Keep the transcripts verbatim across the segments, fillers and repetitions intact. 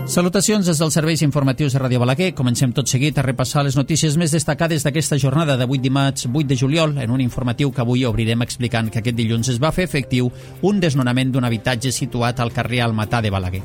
Salutacions des dels serveis informatius de Ràdio Balaguer. Comencem tot seguit a repassar les notícies més destacades d'aquesta jornada d'avui dimarts vuit de juliol, en un informatiu que avui obrirem explicant que aquest dilluns es va fer efectiu un desnonament d'un habitatge situat al carrer Almatà de Balaguer.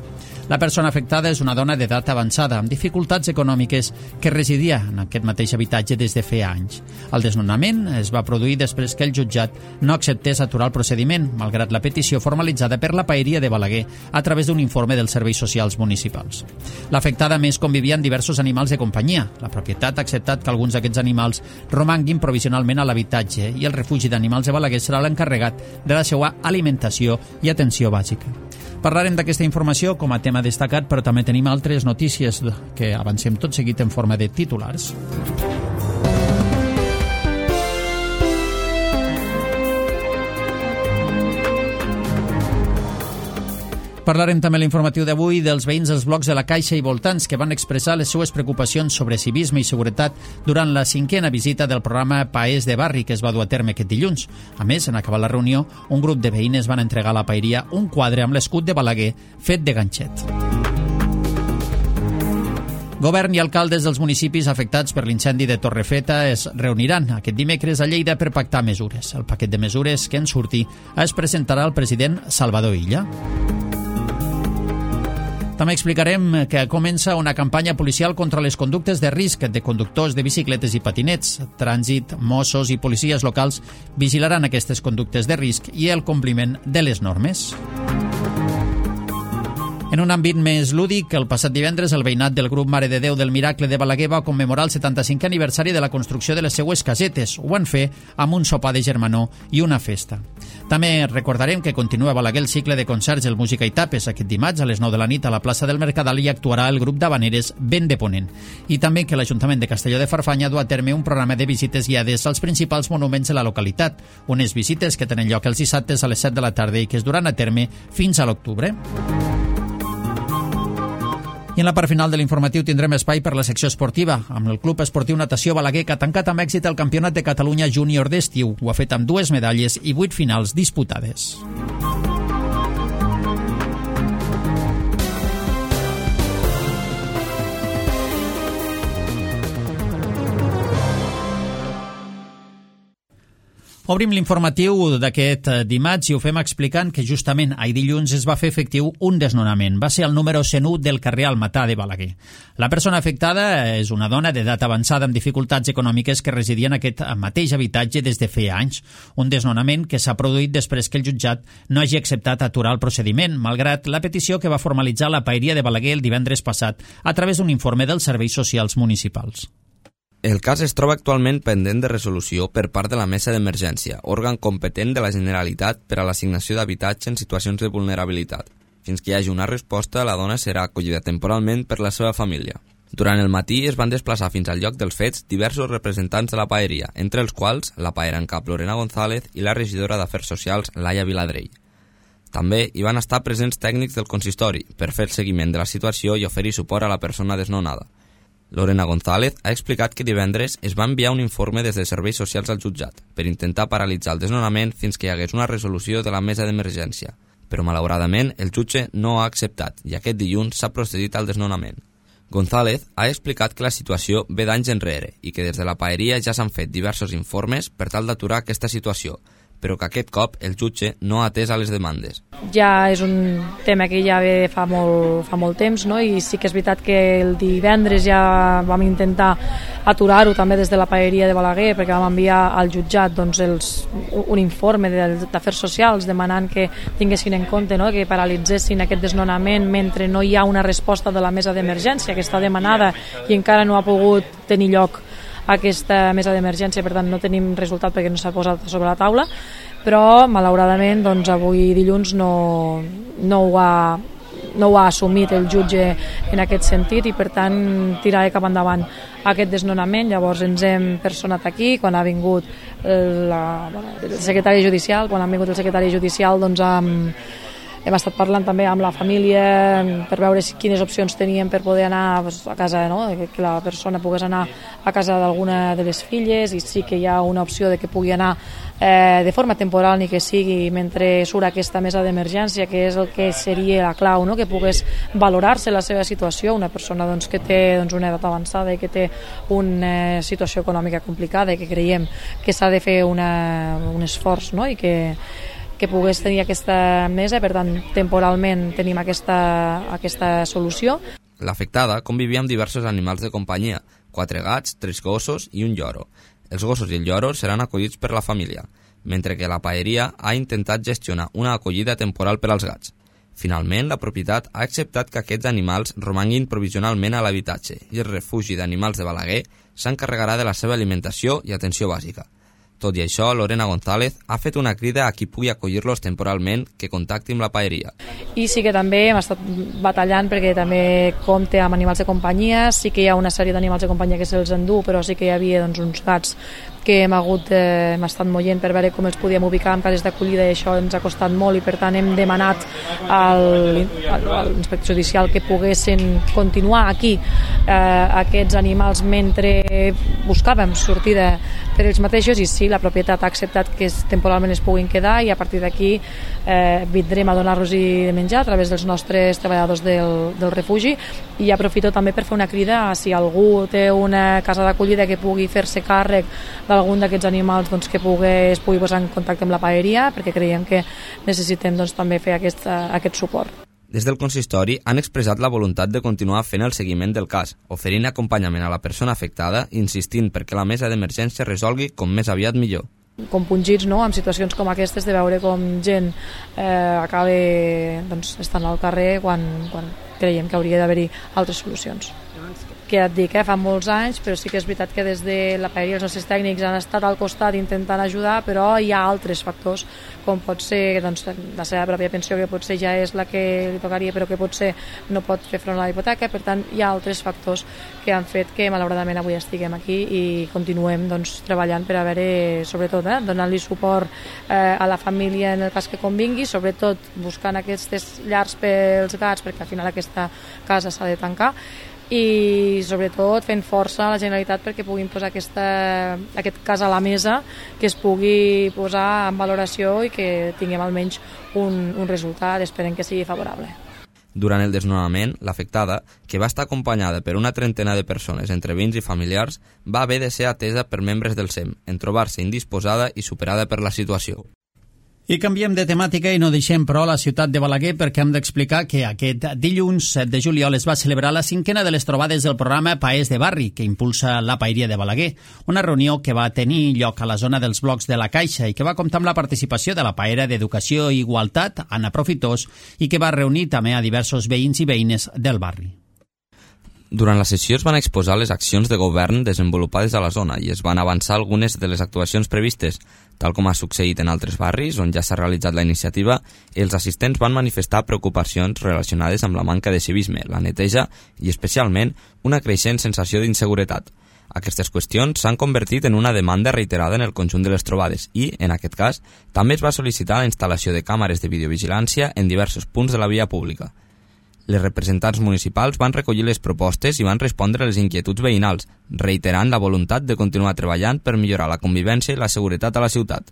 La persona afectada és una dona d'edat avançada amb dificultats econòmiques que residia en aquest mateix habitatge des de feia anys. El desnonament es va produir després que el jutjat no acceptés aturar el procediment, malgrat la petició formalitzada per la Paeria de Balaguer a través d'un informe dels serveis socials municipals. L'afectada més convivia amb diversos animals de companyia. La propietat ha acceptat que alguns d'aquests animals romanguin provisionalment a l'habitatge i el refugi d'animals de Balaguer serà l'encarregat de la seva alimentació i atenció bàsica. Parlarem d'aquesta informació com a tema destacat, però també tenim altres notícies que avancem tot seguit en forma de titulars. Parlarem també a l'informatiu d'avui dels veïns dels blocs de la Caixa i voltants que van expressar les seues preocupacions sobre civisme i seguretat durant la cinquena visita del programa Paers de Barri que es va dur a terme aquest dilluns. A més, en acabar la reunió, un grup de veïnes van entregar a la paeria un quadre amb l'escut de Balaguer fet de ganxet. Govern i alcaldes dels municipis afectats per l'incendi de Torrefeta es reuniran aquest dimecres a Lleida per pactar mesures. El paquet de mesures que en surti es presentarà al president Salvador Illa. També explicarem que comença una campanya policial contra les conductes de risc de conductors de bicicletes i patinets. Trànsit, Mossos i policies locals vigilaran aquestes conductes de risc i el compliment de les normes. En un àmbit més lúdic, el passat divendres el veïnat del grup Mare de Déu del Miracle de Balaguer va commemorar el setanta-cinquè aniversari de la construcció de les seues casetes. Ho van fer amb un sopar de germanor i una festa. També recordarem que continua a Balaguer el cicle de concerts del Música i Tapes. Aquest dimarts a les nou de la nit a la plaça del Mercadal hi actuarà el grup d'habaneres Vent de Ponent. I també que l'Ajuntament de Castelló de Farfanya du a terme un programa de visites guiades als principals monuments de la localitat. Unes visites que tenen lloc els dissabtes a les set de la tarda i que es duran a terme fins a l'octubre. I en la part final de l'informatiu tindrem espai per la secció esportiva, amb el Club Esportiu Natació Balaguer que ha tancat amb èxit el Campionat de Catalunya Júnior d'estiu. Ho ha fet amb dues medalles i vuit finals disputades. Obrim l'informatiu d'aquest dimarts i ho fem explicant que justament ahir dilluns es va fer efectiu un desnonament. Va ser el número cent u del carrer Almatà de Balaguer. La persona afectada és una dona d'edat avançada amb dificultats econòmiques que residia en aquest mateix habitatge des de feia anys. Un desnonament que s'ha produït després que el jutjat no hagi acceptat aturar el procediment, malgrat la petició que va formalitzar la Paeria de Balaguer el divendres passat a través d'un informe dels serveis socials municipals. El cas es troba actualment pendent de resolució per part de la Mesa d'Emergència, òrgan competent de la Generalitat per a l'assignació d'habitatge en situacions de vulnerabilitat. Fins que hi hagi una resposta, la dona serà acollida temporalment per la seva família. Durant el matí es van desplaçar fins al lloc dels fets diversos representants de la paeria, entre els quals la paera en cap Lorena González i la regidora d'Afers Socials Laia Viladrell. També hi van estar presents tècnics del consistori per fer el seguiment de la situació i oferir suport a la persona desnonada. Lorena González ha explicat que divendres es va enviar un informe des de Serveis Socials al jutjat per intentar paralitzar el desnonament fins que hi hagués una resolució de la mesa d'emergència, però malauradament el jutge no ha acceptat i aquest dilluns s'ha procedit al desnonament. González ha explicat que la situació ve d'anys enrere i que des de la paeria ja s'han fet diversos informes per tal d'aturar aquesta situació, però que aquest cop el jutge no ha atès a les demandes. Ja és un tema que ja ve fa molt, fa molt temps, no? I sí que és veritat que el divendres ja vam intentar aturar-ho també des de la paeria de Balaguer perquè vam enviar al jutjat doncs, els, un informe d'Afers Socials demanant que tinguessin en compte, no? Que paralitzessin aquest desnonament mentre no hi ha una resposta de la mesa d'emergència que està demanada i encara no ha pogut tenir lloc aquesta mesa d'emergència, per tant no tenim resultat perquè no s'ha posat sobre la taula, però malauradament doncs, avui dilluns no, no, ho ha, no ho ha assumit el jutge en aquest sentit i per tant tiraré cap endavant aquest desnonament. Llavors ens hem personat aquí quan ha vingut la, el secretari judicial, quan ha vingut el secretari judicial doncs amb hem estat parlant també amb la família per veure si, quines opcions teníem per poder anar pues, a casa, no? Que la persona pogués anar a casa d'alguna de les filles, i sí que hi ha una opció de que pugui anar eh, de forma temporal, ni que sigui mentre surt aquesta mesa d'emergència, que és el que seria la clau, no? Que pogués valorar-se la seva situació, una persona doncs, que té doncs, una edat avançada i que té una situació econòmica complicada i que creiem que s'ha de fer una, un esforç, no? I que, que pogués tenir aquesta mesa, per tant, temporalment tenim aquesta, aquesta solució. L'afectada convivia amb diversos animals de companyia, quatre gats, tres gossos i un lloro. Els gossos i el lloro seran acollits per la família, mentre que la paeria ha intentat gestionar una acollida temporal per als gats. Finalment, la propietat ha acceptat que aquests animals romanguin provisionalment a l'habitatge i el refugi d'animals de Balaguer s'encarregarà de la seva alimentació i atenció bàsica. Tot i això, Lorena González ha fet una crida a qui pugui acollir-los temporalment que contacti amb la paeria. I sí que també hem estat batallant perquè també compte amb animals de companyia, sí que hi ha una sèrie d'animals de companyia que se'ls endú, però sí que hi havia doncs, uns gats que hem hagut, eh, hem estat moient per veure com els podíem ubicar en cases d'acollida, i això ens ha costat molt, i per tant hem demanat al, al, a l'inspector judicial que poguessin continuar aquí eh, aquests animals mentre buscàvem sortida per ells mateixos, i sí, la propietat ha acceptat que temporalment es puguin quedar, i a partir d'aquí eh, vindrem a donar-los de menjar a través dels nostres treballadors del, del refugi. I aprofito també per fer una crida a si algú té una casa d'acollida que pugui fer-se càrrec d'algun d'aquests animals, doncs, que pugui, es pugui posar en contacte amb la paeria, perquè creiem que necessitem doncs, també fer aquest, aquest suport. Des del consistori han expressat la voluntat de continuar fent el seguiment del cas, oferint acompanyament a la persona afectada, insistint perquè la mesa d'emergència resolgui com més aviat millor. Compungits, no?, amb situacions com aquestes, de veure com gent eh, acaba doncs, estant al carrer quan, quan creiem que hauria d'haver-hi altres solucions. Que ja et dic, eh, fa molts anys, però sí que és veritat que des de la paeria els nostres tècnics han estat al costat intentant ajudar, però hi ha altres factors, com pot ser doncs, la seva pròpia pensió, que potser ja és la que li tocaria, però que potser no pot fer front a la hipoteca. Per tant, hi ha altres factors que han fet que malauradament avui estiguem aquí i continuem doncs, treballant per a veure, sobretot, eh, donant-li suport eh, a la família en el cas que convingui, sobretot buscant aquestes llars pels gats, perquè al final aquesta casa s'ha de tancar, i sobretot fent força a la Generalitat perquè puguin posar aquesta, aquest cas a la mesa, que es pugui posar en valoració i que tinguem almenys un, un resultat, esperem que sigui favorable. Durant el desnonament, l'afectada, que va estar acompanyada per una trentena de persones entre veïns i familiars, va haver de ser atesa per membres del S E M, en trobar-se indisposada i superada per la situació. I canviem de temàtica i no deixem, però, la ciutat de Balaguer, perquè hem d'explicar que aquest dilluns set de juliol es va celebrar la cinquena de les trobades del programa Paers de Barri, que impulsa la Paeria de Balaguer, una reunió que va tenir lloc a la zona dels blocs de la Caixa i que va comptar amb la participació de la paera d'Educació i Igualtat, Anna Profitós, i que va reunir també a diversos veïns i veïnes del barri. Durant la sessió es van exposar les accions de govern desenvolupades a la zona i es van avançar algunes de les actuacions previstes. Tal com ha succeït en altres barris on ja s'ha realitzat la iniciativa, els assistents van manifestar preocupacions relacionades amb la manca de civisme, la neteja i, especialment, una creixent sensació d'inseguretat. Aquestes qüestions s'han convertit en una demanda reiterada en el conjunt de les trobades i, en aquest cas, també es va sol·licitar la instal·lació de càmeres de videovigilància en diversos punts de la via pública. Les representants municipals van recollir les propostes i van respondre a les inquietuds veïnals, reiterant la voluntat de continuar treballant per millorar la convivència i la seguretat a la ciutat.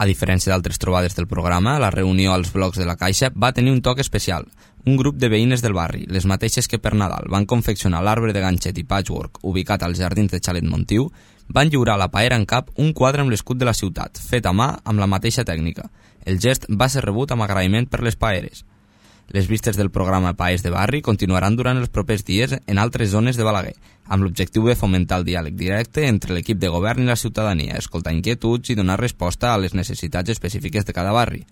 A diferència d'altres trobades del programa, la reunió als blocs de la Caixa va tenir un toc especial. Un grup de veïnes del barri, les mateixes que per Nadal van confeccionar l'arbre de ganxet i patchwork ubicat als jardins de Xalet Montiu, van lliurar a la paera en cap un quadre amb l'escut de la ciutat, fet a mà amb la mateixa tècnica. El gest va ser rebut amb agraïment per les paeres. Les vistes del programa Paers de Barri continuaran durant els propers dies en altres zones de Balaguer, amb l'objectiu de fomentar el diàleg directe entre l'equip de govern i la ciutadania, escoltar inquietuds i donar resposta a les necessitats específiques de cada barri.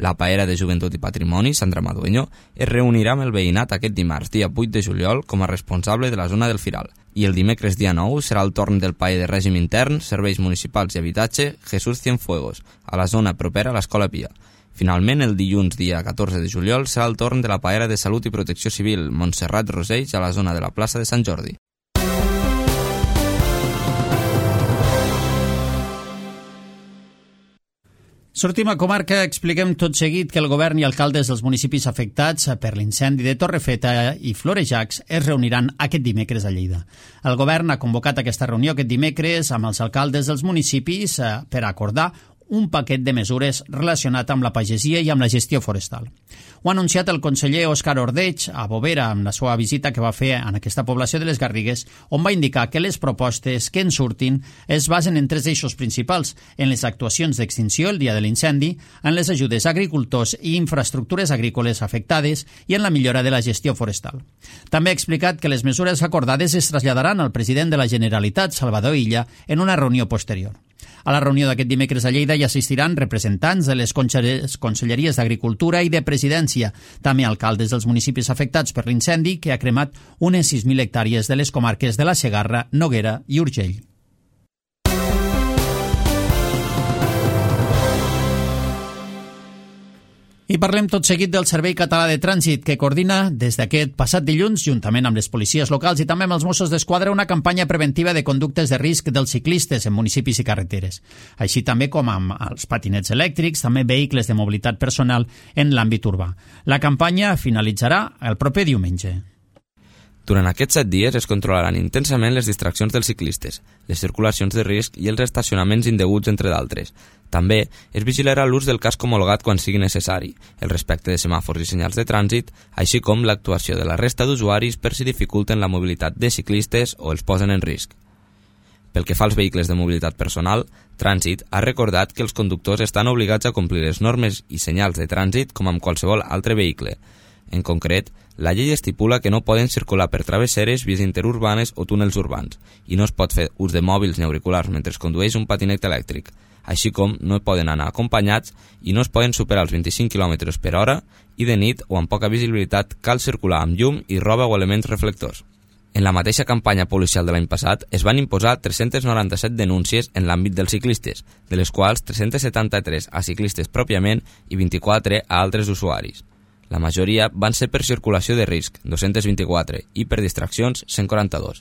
La paera de Joventut i Patrimoni, Sandra Madueño, es reunirà amb el veïnat aquest dimarts, dia vuit de juliol, com a responsable de la zona del Firal. I el dimecres, dia nou, serà el torn del paer de règim intern, serveis municipals i habitatge, Jesús Cienfuegos, a la zona propera a l'Escola Pia. Finalment, el dilluns, dia catorze de juliol, serà el torn de la paera de Salut i Protecció Civil, Montserrat Rosells, a la zona de la plaça de Sant Jordi. Sortim a comarca, expliquem tot seguit que el govern i alcaldes dels municipis afectats per l'incendi de Torrefeta i Florejacs es reuniran aquest dimecres a Lleida. El govern ha convocat aquesta reunió aquest dimecres amb els alcaldes dels municipis per acordar un paquet de mesures relacionat amb la pagesia i amb la gestió forestal. Ho ha anunciat el conseller Òscar Ordeig a Bovera amb la seva visita que va fer en aquesta població de les Garrigues, on va indicar que les propostes que en surtin es basen en tres eixos principals: en les actuacions d'extinció el dia de l'incendi, en les ajudes a agricultors i infraestructures agrícoles afectades i en la millora de la gestió forestal. També ha explicat que les mesures acordades es traslladaran al president de la Generalitat, Salvador Illa, en una reunió posterior. A la reunió d'aquest dimecres a Lleida hi assistiran representants de les conselleries d'Agricultura i de Presidència, també alcaldes dels municipis afectats per l'incendi que ha cremat unes sis mil hectàrees de les comarques de la Segarra, Noguera i Urgell. I parlem tot seguit del Servei Català de Trànsit, que coordina des d'aquest passat dilluns, juntament amb les policies locals i també amb els Mossos d'Esquadra, una campanya preventiva de conductes de risc dels ciclistes en municipis i carreteres, així també com amb els patinets elèctrics, també vehicles de mobilitat personal en l'àmbit urbà. La campanya finalitzarà el proper diumenge. Durant aquests set dies es controlaran intensament les distraccions dels ciclistes, les circulacions de risc i els estacionaments indeguts, entre d'altres. També es vigilarà l'ús del casc homologat quan sigui necessari, el respecte de semàfors i senyals de trànsit, així com l'actuació de la resta d'usuaris per si dificulten la mobilitat de ciclistes o els posen en risc. Pel que fa als vehicles de mobilitat personal, Trànsit ha recordat que els conductors estan obligats a complir les normes i senyals de trànsit com amb qualsevol altre vehicle. En concret, la llei estipula que no poden circular per travesseres, vies interurbanes o túnels urbans, i no es pot fer ús de mòbils ni auriculars mentre es condueix un patinet elèctric, així com no poden anar acompanyats i no es poden superar els vint-i-cinc quilòmetres per hora, i de nit o amb poca visibilitat cal circular amb llum i roba o elements reflectors. En la mateixa campanya policial de l'any passat es van imposar tres-centes noranta-set denúncies en l'àmbit dels ciclistes, de les quals tres-centes setanta-tres a ciclistes pròpiament i vint-i-quatre a altres usuaris. La majoria van ser per circulació de risc, dos-cents vint-i-quatre, i per distraccions, cent quaranta-dos.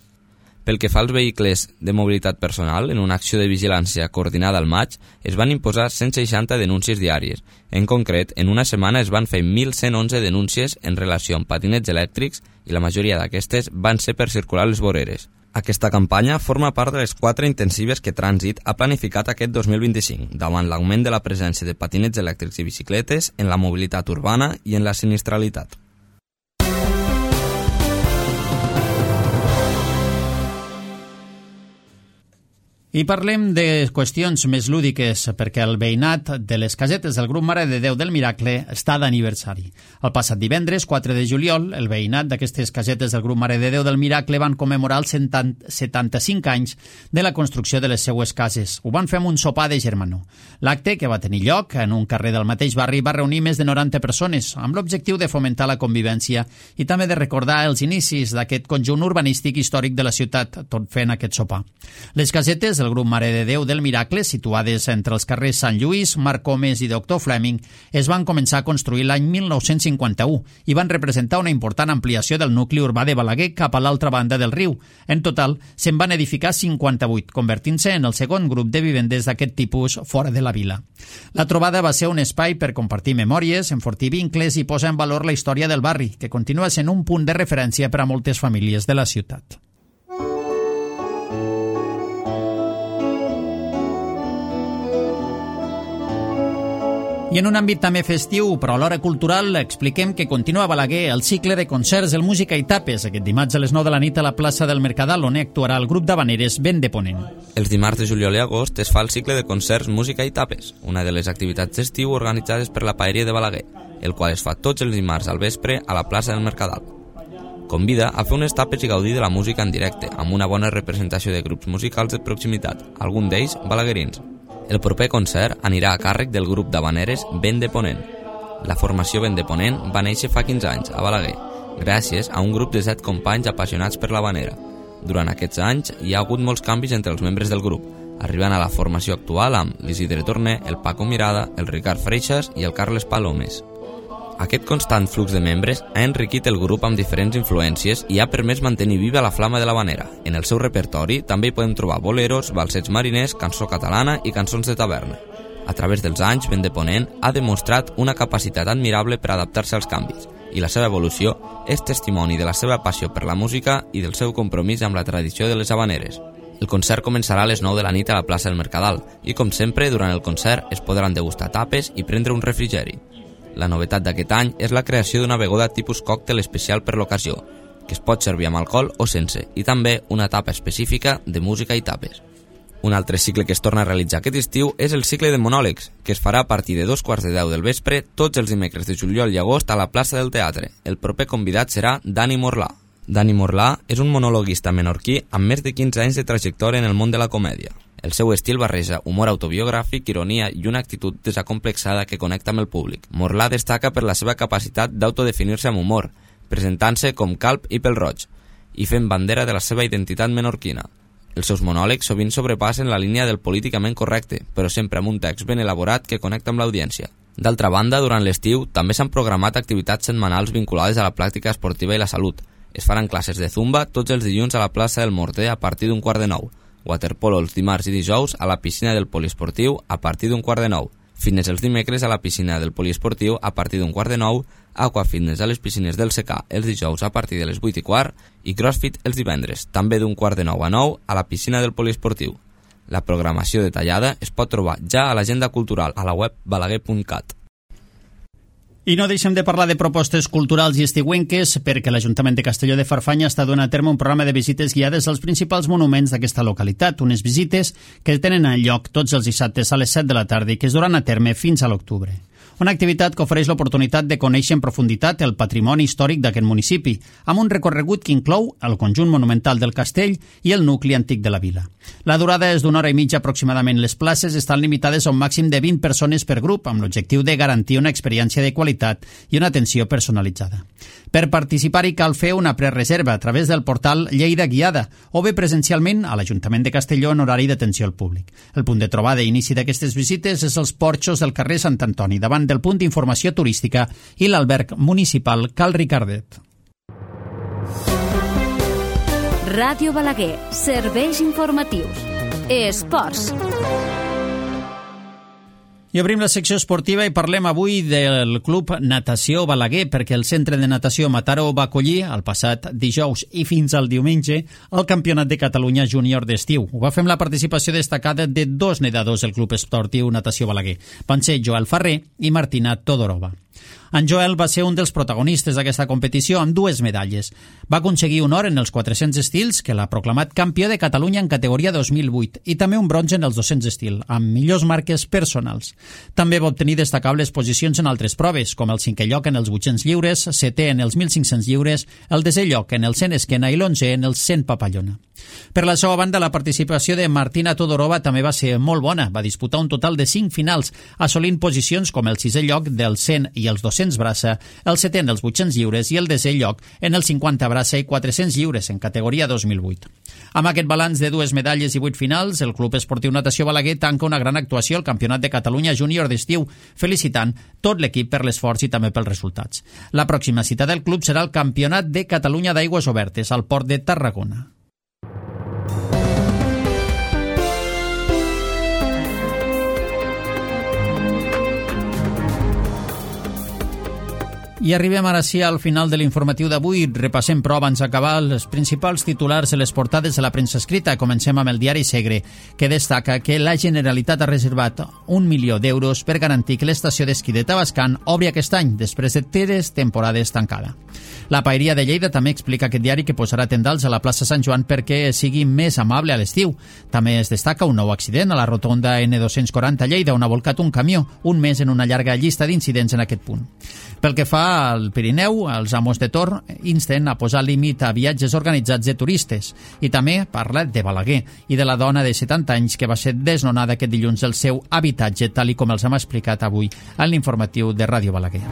Pel que fa als vehicles de mobilitat personal, en una acció de vigilància coordinada al maig, es van imposar cent seixanta denúncies diàries. En concret, en una setmana es van fer mil cent onze denúncies en relació amb patinets elèctrics i la majoria d'aquestes van ser per circular les voreres. Aquesta campanya forma part de les quatre intensives que Trànsit ha planificat aquest dos mil vint-i-cinc, davant l'augment de la presència de patinets elèctrics i bicicletes en la mobilitat urbana i en la sinistralitat. I parlem de qüestions més lúdiques, perquè el veïnat de les casetes del grup Mare de Déu del Miracle està d'aniversari. El passat divendres, quatre de juliol, el veïnat d'aquestes casetes del grup Mare de Déu del Miracle van commemorar els setanta-cinc anys de la construcció de les seues cases. Ho van fer amb un sopar de germanor. L'acte, que va tenir lloc en un carrer del mateix barri, va reunir més de noranta persones, amb l'objectiu de fomentar la convivència i també de recordar els inicis d'aquest conjunt urbanístic històric de la ciutat, tot fent aquest sopar. Les casetes del grup Mare de Déu del Miracle, situades entre els carrers Sant Lluís, Marc Comes i Doctor Fleming, es van començar a construir l'any mil nou-cents cinquanta-u i van representar una important ampliació del nucli urbà de Balaguer cap a l'altra banda del riu. En total, se'n van edificar cinquanta-vuit, convertint-se en el segon grup de vivendes d'aquest tipus fora de la vila. La trobada va ser un espai per compartir memòries, enfortir vincles i posar en valor la història del barri, que continua sent un punt de referència per a moltes famílies de la ciutat. I en un àmbit també festiu, però alhora cultural, expliquem que continua a Balaguer el cicle de concerts El Música i Tapes, aquest dimarts a les nou de la nit a la plaça del Mercadal, on actuarà el grup d'habaneres Vent de Ponent. Els dimarts de juliol i agost es fa el cicle de concerts Música i Tapes, una de les activitats d'estiu organitzades per la Paeria de Balaguer, el qual es fa tots els dimarts al vespre a la plaça del Mercadal. Convida a fer unes tapes i gaudir de la música en directe, amb una bona representació de grups musicals de proximitat, algun d'ells balaguerins. El proper concert anirà a càrrec del grup d'habaneres Vent de Ponent. La formació Vent de Ponent va néixer fa quinze anys a Balaguer, gràcies a un grup de set companys apassionats per l'habanera. Durant aquests anys hi ha hagut molts canvis entre els membres del grup, arribant a la formació actual amb l'Isidre Torner, el Paco Mirada, el Ricard Freixas i el Carles Palomes. Aquest constant flux de membres ha enriquit el grup amb diferents influències i ha permès mantenir viva la flama de l'habanera. En el seu repertori també hi podem trobar boleros, balsets mariners, cançó catalana i cançons de taverna. A través dels anys, Vent de Ponent ha demostrat una capacitat admirable per adaptar-se als canvis, i la seva evolució és testimoni de la seva passió per la música i del seu compromís amb la tradició de les habaneres. El concert començarà a les nou de la nit a la plaça del Mercadal i, com sempre, durant el concert es podran degustar tapes i prendre un refrigeri. La novetat d'aquest any és la creació d'una beguda tipus còctel especial per l'ocasió, que es pot servir amb alcohol o sense, i també una tapa específica de música i tapes. Un altre cicle que es torna a realitzar aquest estiu és el cicle de monòlegs, que es farà a partir de dos quarts de deu del vespre tots els dimecres de juliol i agost a la plaça del Teatre. El proper convidat serà Dani Morlà. Dani Morlà és un monologuista menorquí amb més de quinze anys de trajectòria en el món de la comèdia. El seu estil barreja humor autobiogràfic, ironia i una actitud desacomplexada que connecta amb el públic. Morlà destaca per la seva capacitat d'autodefinir-se amb humor, presentant-se com calb i pèl-roig, i fent bandera de la seva identitat menorquina. Els seus monòlegs sovint sobrepassen la línia del políticament correcte, però sempre amb un text ben elaborat que connecta amb l'audiència. D'altra banda, durant l'estiu també s'han programat activitats setmanals vinculades a la pràctica esportiva i la salut. Es faran classes de zumba tots els dilluns a la plaça del Morter a partir d'un quart de nou, waterpolo els dimarts i dijous a la piscina del poliesportiu a partir d'un quart de nou, fitness els dimecres a la piscina del poliesportiu a partir d'un quart de nou, aquafitness a les piscines del secà els dijous a partir de les vuit i quart i crossfit els divendres, també d'un quart de nou a nou a la piscina del poliesportiu. La programació detallada es pot trobar ja a l'agenda cultural a la web balaguer punt cat. I no deixem de parlar de propostes culturals i estiuenques perquè l'Ajuntament de Castelló de Farfanya està donant a terme un programa de visites guiades als principals monuments d'aquesta localitat, unes visites que tenen lloc tots els dissabtes a les set de la tarda i que es duran a terme fins a l'octubre. Una activitat que ofereix l'oportunitat de conèixer en profunditat el patrimoni històric d'aquest municipi, amb un recorregut que inclou el conjunt monumental del castell i el nucli antic de la vila. La durada és d'una hora i mitja aproximadament. Les places estan limitades a un màxim de vint persones per grup, amb l'objectiu de garantir una experiència de qualitat i una atenció personalitzada. Per participar-hi cal fer una prereserva a través del portal Lleida Guiada o bé presencialment a l'Ajuntament de Castelló en horari d'atenció al públic. El punt de trobada i inici d'aquestes visites és els porxos del carrer Sant Antoni, davant del punt d'informació turística i l'alberg municipal Cal Ricardet. Ràdio Balaguer, serveis informatius. Esports. I obrim la secció esportiva i parlem avui del Club Natació Balaguer, perquè el Centre de Natació Mataró va acollir el passat dijous i fins al diumenge el Campionat de Catalunya Júnior d'estiu. Ho va fer amb la participació destacada de dos nedadors del Club Esportiu Natació Balaguer. Van ser Joel Ferrer i Martina Todorova. En Joel va ser un dels protagonistes d'aquesta competició amb dues medalles. Va aconseguir un or en els quatre-cents estils, que l'ha proclamat campió de Catalunya en categoria dos mil vuit, i també un bronze en els dos-cents estil, amb millors marques personals. També va obtenir destacables posicions en altres proves, com el cinquè lloc en els vuit-cents lliures, setè en els mil cinc-cents lliures, el desè lloc en el cent esquena i l'onzè en els cent papallona. Per la seva banda, la participació de Martina Todorova també va ser molt bona. Va disputar un total de cinc finals, assolint posicions com el sisè lloc del cent i els dos-cents braça, el setè en els vuit-cents lliures i el desè lloc en els cinquanta braça i quatre-cents lliures en categoria dos mil vuit. Amb aquest balanç de dues medalles i vuit finals, el Club Esportiu Natació Balaguer tanca una gran actuació al Campionat de Catalunya Júnior d'estiu, felicitant tot l'equip per l'esforç i també pels resultats. La pròxima cita del club serà el Campionat de Catalunya d'Aigües Obertes al Port de Tarragona. I arribem ara sí al final de l'informatiu d'avui. Repassem, però, abans d'acabar, els principals titulars de les portades de la premsa escrita. Comencem amb el diari Segre, que destaca que la Generalitat ha reservat un milió d'euros per garantir que l'estació d'esquí de Tavascan obri aquest any, després de tres temporades tancada. La Paeria de Lleida també explica aquest diari que posarà tendals a la plaça Sant Joan perquè sigui més amable a l'estiu. També es destaca un nou accident a la rotonda ene dos-cents quaranta Lleida, on ha volcat un camió, un mes en una llarga llista d'incidents en aquest punt. Pel que fa al Pirineu, els amos de Tor insten a posar límit a viatges organitzats de turistes, i també parla de Balaguer i de la dona de setanta anys que va ser desnonada aquest dilluns del seu habitatge, tal i com els hem explicat avui en l'informatiu de Ràdio Balaguer.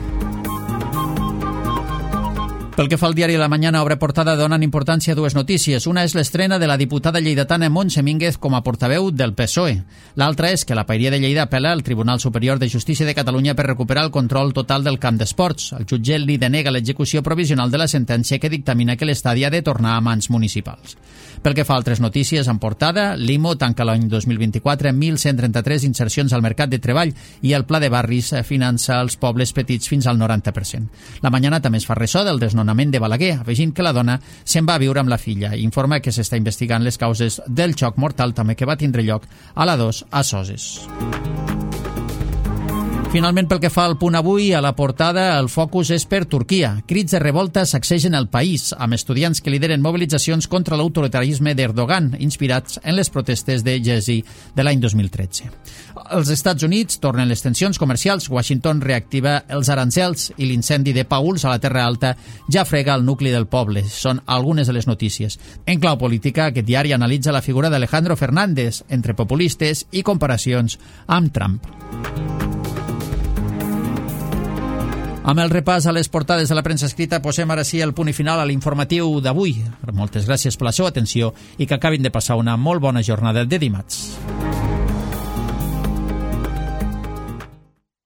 Pel que fa al diari La Mañana, obre portada donen importància a dues notícies. Una és l'estrena de la diputada lleidatana Montse Mínguez com a portaveu del P S O E. L'altra és que la Paeria de Lleida apel·la al Tribunal Superior de Justícia de Catalunya per recuperar el control total del camp d'esports. El jutge li denega l'execució provisional de la sentència que dictamina que l'estadi ha de tornar a mans municipals. Pel que fa a altres notícies, en portada, l'I M O tanca l'any dos mil vint-i-quatre amb mil cent trenta-tres insercions al mercat de treball i el Pla de Barris finança els pobles petits fins al noranta per cent. La Mañana també es fa ressò del desnonament de Balaguer, afegint que la dona se'n va a viure amb la filla. Informa que s'està investigant les causes del xoc mortal també que va tindre lloc a la dos a Soses. Finalment, pel que fa al Punt Avui, a la portada el focus és per Turquia. Crits de revolta sacsegen el país, amb estudiants que lideren mobilitzacions contra l'autoritarisme d'Erdogan, inspirats en les protestes de Gezi de l'any dos mil tretze. Els Estats Units tornen les tensions comercials, Washington reactiva els arancels i l'incendi de Pauls a la Terra Alta ja frega el nucli del poble. Són algunes de les notícies. En clau política, aquest diari analitza la figura d'Alejandro Fernández entre populistes i comparacions amb Trump. Amb el repàs a les portades de la premsa escrita posem ara sí el punt i final a l'informatiu d'avui. Moltes gràcies per la seva atenció i que acabin de passar una molt bona jornada de dimarts.